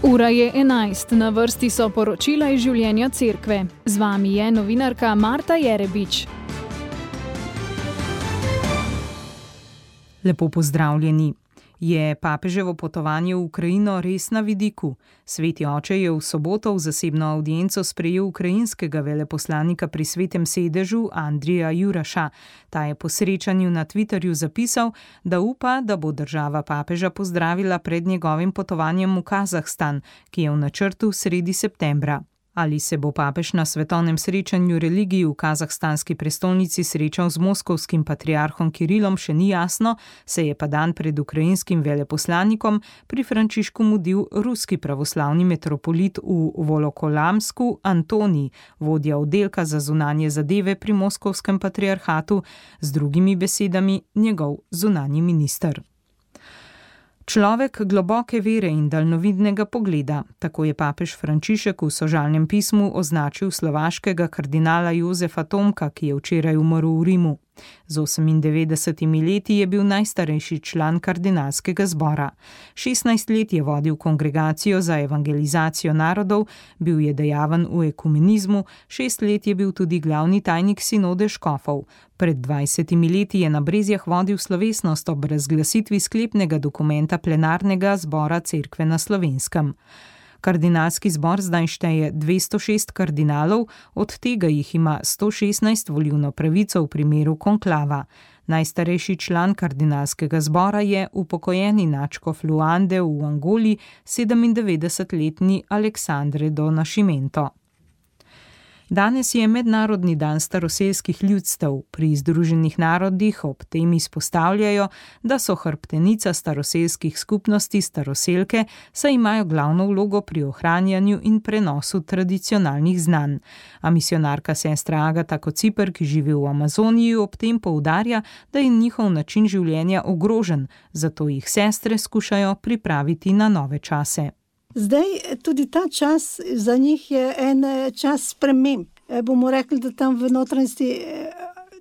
Ura je 11, na vrsti so poročila iz življenja cerkve. Z vami je novinarka Marta Jerebič. Lepo pozdravljeni. Je papeževo potovanje v Ukrajino res na vidiku? Sveti oče je v soboto v zasebno avdienco sprejel ukrajinskega veleposlanika pri Svetem sedežu Andrija Juraša. Ta je po srečanju na Twitterju zapisal, da upa, da bo država papeža pozdravila pred njegovim potovanjem v Kazahstan, ki je v načrtu sredi septembra. Ali se bo papež na svetovnem srečanju religij v kazahstanski prestolnici srečal z moskovskim patriarhom Kirilom, še ni jasno, se je pa dan pred ukrajinskim veleposlanikom pri Frančišku mudil ruski pravoslavni metropolit v Volokolamsku Antonij, vodja oddelka za zunanje zadeve pri moskovskem patriarhatu, z drugimi besedami njegov zunanji minister. Človek globoke vere in daljnovidnega pogleda, tako je papež Frančišek v sožalnem pismu označil slovaškega kardinala Jozefa Tomka, ki je včeraj umrl v Rimu. Z 98 leti je bil najstarejši član kardinalskega zbora. 16 let je vodil kongregacijo za evangelizacijo narodov, bil je dejaven v ekumenizmu, 6 let je bil tudi glavni tajnik sinode škofov. Pred 20 leti je na Brezjah vodil slovesnost ob razglasitvi sklepnega dokumenta plenarnega zbora cerkve na Slovenskem. Kardinalski zbor zdaj šteje 206 kardinalov, od tega jih ima 116 volilno pravico v primeru konklava. Najstarejši član kardinalskega zbora je upokojeni nadškof Luande v Angoli, 97-letni Aleksandre do Nascimento. Danes je Mednarodni dan staroselskih ljudstev. Pri Združenih narodih ob tem izpostavljajo, da so hrbtenica staroselskih skupnosti staroselke, saj imajo glavno vlogo pri ohranjanju in prenosu tradicionalnih znanj. A misionarka sestra Agata Kociper, ki živi v Amazoniji, ob tem poudarja, da je njihov način življenja ogrožen, zato jih sestre skušajo pripraviti na nove čase. Zdaj, tudi ta čas za njih je en čas sprememb. Bomo rekli, da tam v notranjosti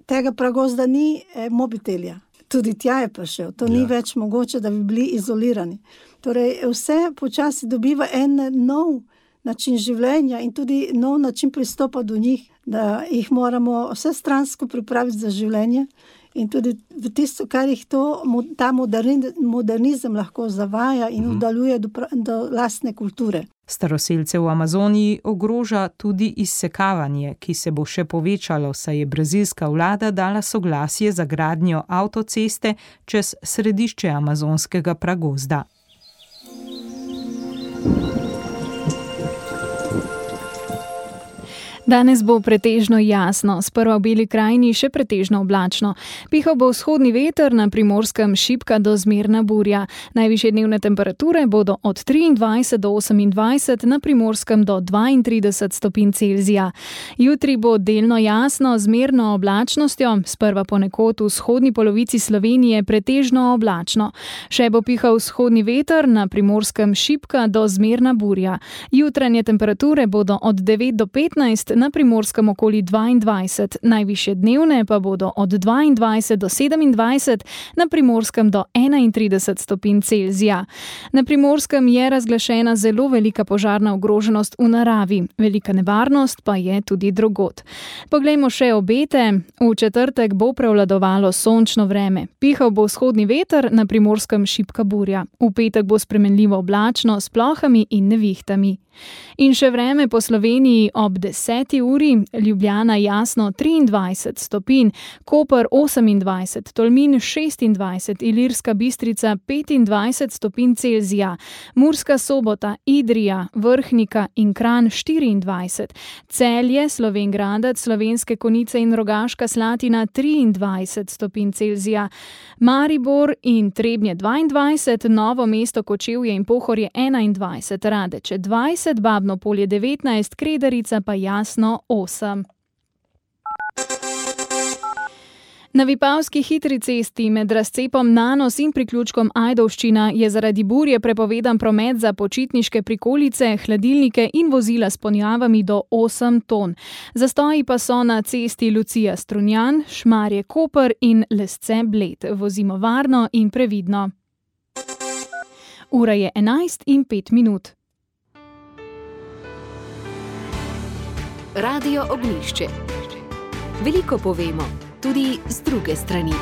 tega pragozda ni mobitelja. Tudi tja je prišel. To ni več mogoče, da bi bili izolirani. Torej, vse počasi dobiva en nov način življenja in tudi nov način pristopa do njih, da jih moramo vsestransko pripraviti za življenje. In tudi v tisto, kar jih ta modernizem lahko zavaja in oddaljuje do lastne kulture. Staroselce v Amazoniji ogroža tudi izsekavanje, ki se bo še povečalo, saj je brazilska vlada dala soglasje za gradnjo avtoceste čez središče amazonskega pragozda. Danes bo pretežno jasno, sprva v Beli krajini še pretežno oblačno. Pihal bo vzhodni veter, na Primorskem šibka do zmerna burja. Najvišje dnevne temperature bodo od 23 do 28, na Primorskem do 32 stopinj Celzija. Jutri bo delno jasno, zmerno oblačnostjo, sprva ponekod v vzhodni polovici Slovenije pretežno oblačno. Še bo pihal vzhodni veter, na Primorskem šibka do zmerna burja. Jutranje temperature bodo od 9 do 15, na Primorskem okoli 22, najvišje dnevne pa bodo od 22 do 27, na Primorskem do 31 stopinj Celzija. Na Primorskem je razglašena zelo velika požarna ogroženost v naravi, velika nevarnost pa je tudi drugod. Poglejmo še obete. V četrtek bo prevladovalo sončno vreme. Pihal bo vzhodni veter, na Primorskem šibka burja. V petek bo spremenljivo oblačno s plohami in nevihtami. In še vreme po Sloveniji ob 10. uri, Ljubljana jasno 23 stopinj, Koper 28, Tolmin 26, Ilirska Bistrica 25 stopinj Celzija, Murska Sobota, Idrija, Vrhnika in Kranj 24, Celje, Slovenj Gradec, Slovenske Konjice in Rogaška Slatina 23 stopinj Celzija, Maribor in Trebnje 22, Novo mesto, Kočevje in Pohorje 21, Radeče 20, Babno Polje 19, Kredarica pa jasno 8. Na Vipavski hitri cesti med razcepom Nanos in priključkom Ajdovščina je zaradi burje prepovedan promet za počitniške prikolice, hladilnike in vozila s ponjavami do 8 ton. Zastoji pa so na cesti Lucija Strunjan, Šmarje Koper in Lesce Bled. Vozimo varno in previdno. Ura je 11:05. Radio Ognjišče. Veliko povemo, tudi z druge strani.